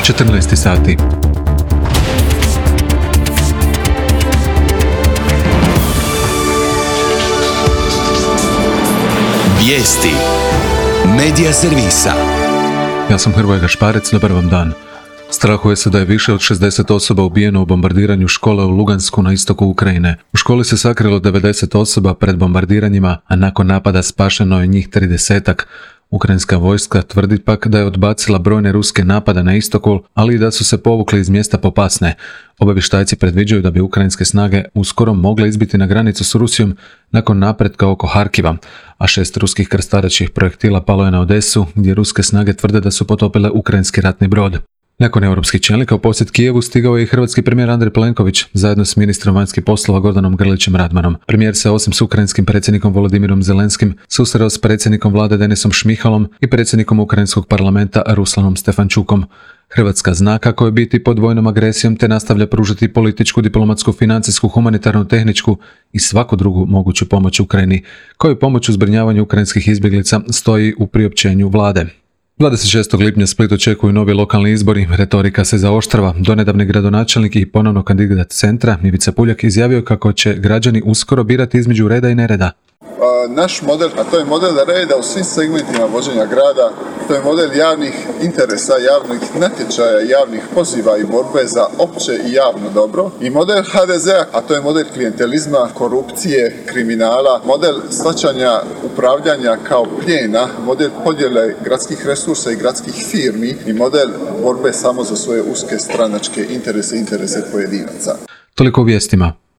14 sati. Vijesti Medija servisa. Ja sam Hrvoje Gašparec, dobar vam dan. Strahuje se da je više od 60 osoba ubijeno u bombardiranju škole u Lugansku na istoku Ukrajine. U školi se sakrilo 90 osoba pred bombardiranjima, a nakon napada spašeno je njih 30-ak. Ukrajinska vojska tvrdi pak da je odbacila brojne ruske napade na istoku, ali i da su se povukli iz mjesta Popasne. Obavještajci predviđaju da bi ukrajinske snage uskoro mogle izbiti na granicu s Rusijom nakon napretka oko Harkiva, a 6 ruskih krstarećih projektila palo je na Odesu, gdje ruske snage tvrde da su potopile ukrajinski ratni brod. Nakon europskih čelnika u posjet Kijevu stigao je i hrvatski premijer Andrej Plenković zajedno s ministrom vanjskih poslova Gordanom Grlićem Radmanom. Premijer se osim s ukrajinskim predsjednikom Volodimirom Zelenskim susreo s predsjednikom vlade Denisom Šmihalom i predsjednikom ukrajinskog parlamenta Ruslanom Stefančukom. Hrvatska zna kako je biti pod vojnom agresijom te nastavlja pružati političku, diplomatsku, financijsku, humanitarnu, tehničku i svaku drugu moguću pomoć Ukrajini, kao i pomoć u zbrinjavanju ukrajinskih izbjeglica, stoji u priopćenju vlade. 26. lipnja Split očekuju novi lokalni izbori, retorika se zaoštrava. Donedavni gradonačelnik i ponovno kandidat Centra, Ivica Puljak, izjavio kako će građani uskoro birati između reda i nereda. Naš model, a to je model reda u svim segmentima vođenja grada, to je model javnih interesa, javnih natječaja, javnih poziva i borbe za opće i javno dobro. I model HDZ-a, a to je model klijentelizma, korupcije, kriminala, model shvaćanja upravljanja kao plijena, model podjele gradskih resursa i gradskih firmi i model borbe samo za svoje uske stranačke interese pojedinaca. Toliko u vijestima.